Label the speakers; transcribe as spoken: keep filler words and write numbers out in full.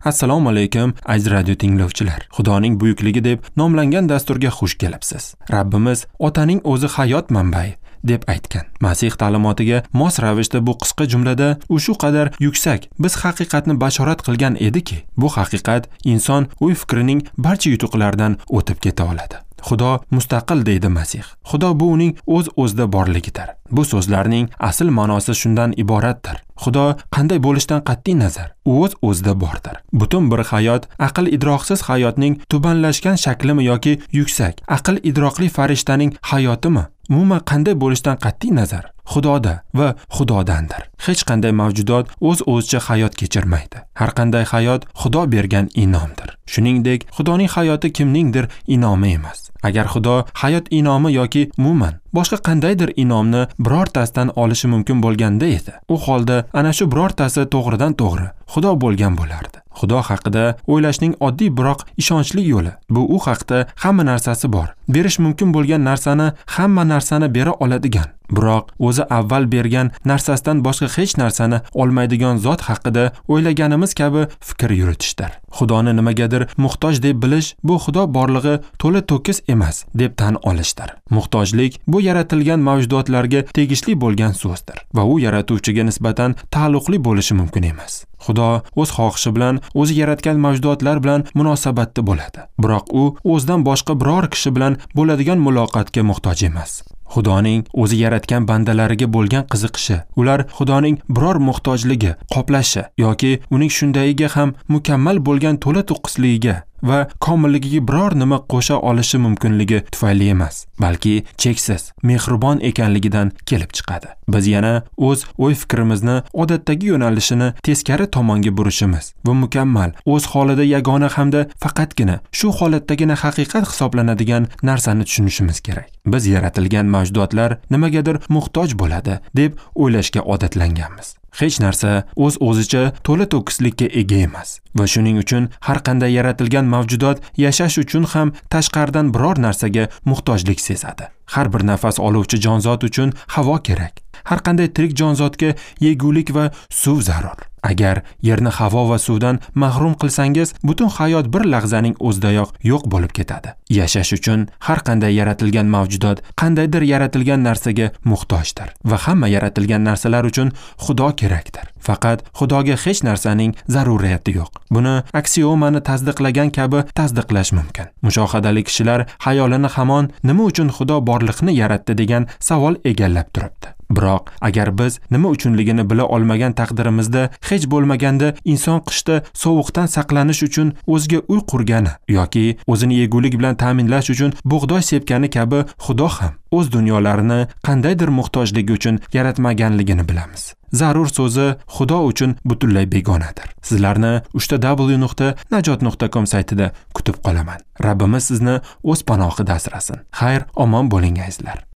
Speaker 1: Assalomu alaykum aziz radio tinglovchilar. Xudoning buyukligi deb nomlangan dasturga xush kelibsiz. Rabbimiz otaning o'zi hayot manbai deb aytgan. Masih ta'limotiga mos ravishda bu qisqa jumlada u shu qadar yuksak biz haqiqatni bashorat qilgan ediki, bu haqiqat inson o'y-fikrining barcha yutuqlaridan o'tib keta oladi. Xudo mustaqil deydi Masih. Xudo bu uning o'z-o'zida borligidir. Bu so'zlarning asl ma'nosi shundan iboratdir. Xudo qanday bo'lishidan qat'iy nazar, u o'z-o'zida bordir. Butun bir hayot aql idroqsiz hayotning tubanlashgan shaklimi yoki yuksak aql idroqli farishtaning hayotimi? Umuman qanday bo'lishidan qat'iy nazar, Xudoda va Xudodandir. Hech qanday mavjudot o'z-o'zicha hayot kechirmaydi. Har qanday hayot Xudo bergan inomdir. Shuningdek, Xudoning hayoti kimningdir inomi emas. Agar Xudo hayot inomi yoki umuman boshqa qandaydir inomni birortasidan olishi mumkin bo'lganda edi, u holda ana shu birortasi to'g'ridan to'g'ri Xudo bo'lgan bo'lardi. Xudo haqida o'ylashning oddiy biroq ishonchli yo'li bu u haqda hamma narsasi bor, berish mumkin bo'lgan narsani hamma narsani bera oladigan, biroq o'zi avval bergan narsasidan boshqa hech narsani olmaydigan zot haqida o'ylaganimiz kabi fikr yuritishdir. Xudoni nimagadir muhtoj deb bilish bu Xudo borlig'i to'la to'kis emas deb tan olishdir. Muhtojlik bu yaratilgan mavjudotlarga tegishli bo'lgan so'zdir va u yaratuvchiga nisbatan taalluqli bo'lishi mumkin emas. Xudo o'z xohishi bilan o'zi yaratgan mavjudotlar bilan munosabatda bo'ladi, biroq u o'zidan boshqa biror kishi bilan bo'ladigan muloqotga muhtoj emas. Xudoning o'zi yaratgan bandalariga bo'lgan qiziqishi, ular Xudoning biror muhtojligi qoplashi yoki uning shundayiga ham mukammal bo'lgan to'la to'kisligiga va komilligiga biror nima qo'sha olishi mumkinligi tufayli emas, balki cheksiz mehribon ekanligidan kelib chiqadi. Biz yana o'z o'y-fikrimizni odatdagi yo'nalishini teskari tomonga burishimiz va mukammal, o'z holida yagona hamda faqatgina shu holatdagina haqiqat hisoblanadigan narsani tushunishimiz kerak. Biz yaratilgan mavjudotlar nimagadir muhtoj bo'ladi deb o'ylashga odatlanganmiz. Hech narsa o'z-o'zicha to'la to'kislikka ega emas va shuning uchun har qanday yaratilgan mavjudot yashash uchun ham tashqaridan biror narsaga muhtojlik sezadi. Har bir nafas oluvchi jonzot uchun havo kerak. Har qanday tirik jonzotga yegulik va suv zarur. Agar yerni havo va suvdan mahrum qilsangiz, butun hayot bir lahzaning o'zidayoq yo'q bo'lib ketadi. Yashash uchun har qanday yaratilgan mavjudot qandaydir yaratilgan narsaga muhtojdir va hamma yaratilgan narsalar uchun Xudo kerakdir. Faqat Xudoga hech narsaning zaruriyati yo'q. Buni aksiomani tasdiqlagan kabi tasdiqlash mumkin. Mushohadali kishilar xayolini hamon nima uchun Xudo borliqni yaratdi degan savol egallab turibdi. Biroq agar biz nima uchunligini bila olmagan taqdirimizda hech bo'lmaganda inson qishda sovuqdan saqlanish uchun o'ziga uy qurgani yoki o'zini yegulik bilan ta'minlash uchun bug'doy sepgani kabi Xudo ham o'z dunyolarini qandaydir muhtojligi uchun yaratmaganligini bilamiz. Zarur so'zi Xudo uchun butunlay begonadir. Sizlarni uch ta w nuqta najot nuqta com saytida kutib qolaman. Rabbimiz sizni o'z panohida asrasin. Xayr, omon bo'ling azizlar.